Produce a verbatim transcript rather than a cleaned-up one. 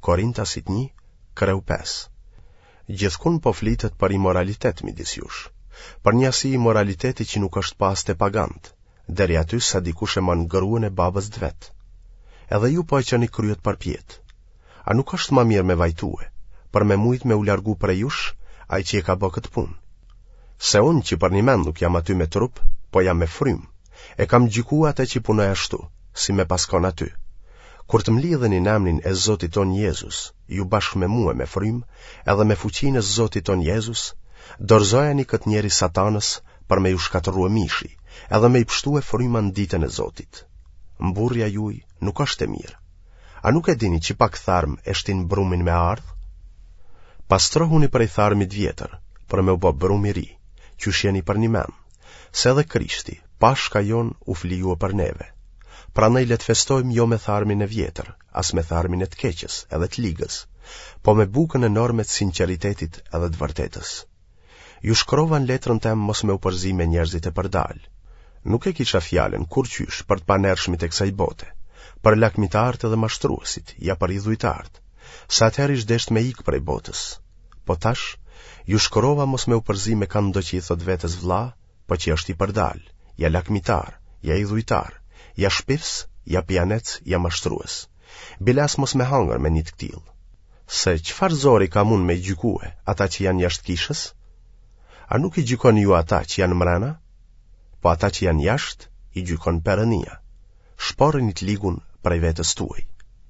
Korintasit një, kreu pesë. Gjithkund po flitet për imoralitet midis jush, për njasi imoraliteti që nuk është pas te paganët, deri aty sa dikush e man gruën e babës të vet. Edhe ju po e çoni kryet përpjetë. A nuk është ma mirë me vajtue, për me mujt me u largu prej jush, ai që e ka bë këtë punë? Se unë që përnjëmend nuk jam aty me trup, po jam me frymë, e kam gjykua atë që punoj ashtu, si me pas kon aty. Kur të mlidheni në emrin e Zotit ton Jezus, ju bashkë me mua me frymë, edhe me fuqinë e Zotit ton Jezus, dorëzojeni këtë njeri satanës për me ju shkatërrue mishi, edhe me i pështue fryma në ditën e Zotit. Mburrja juaj nuk është e mirë. A nuk e dini që pak tharm e shtin brumin me ardh? Pastrohuni prej tharmit vjetër, për me u bë brum i ri, qysh jeni përnjëmend, se edhe Krishti, Pashka jonë, u flijua për neve. Prandaj le të festojmë jo me tharmin e vjetër, as me tharmin e të keqës edhe të ligës, po me bukën e norme të sinqeritetit edhe të vërtetës. Ju shkrova në letrën tem mos me u përzi me njerëzit e përdal. Nuk e kisha fjalën kurrqysh për të panershmit e kësaj bote, për lakmitarët edhe mashtruesit, ja për idhujtarët, se atëherë ish desht me ikë prej botës. Po tash, ju shkrova mos me u përzi me këndo që i thot vetes vlla, po që është i përdal, ja lakmitar, ja idhujtar, ja shpifs, ja pijanec, ja mashtrues. Bile as mos me hangër me një të këtillë. Se çfarë zori kam unë me i gjykue ata që janë jashtë kishës? A nuk i gjykoni ju ata që janë mrena? Po ata që janë jashtë, i gjykon Perënia. Shporrini të ligun prej vetes tuaj.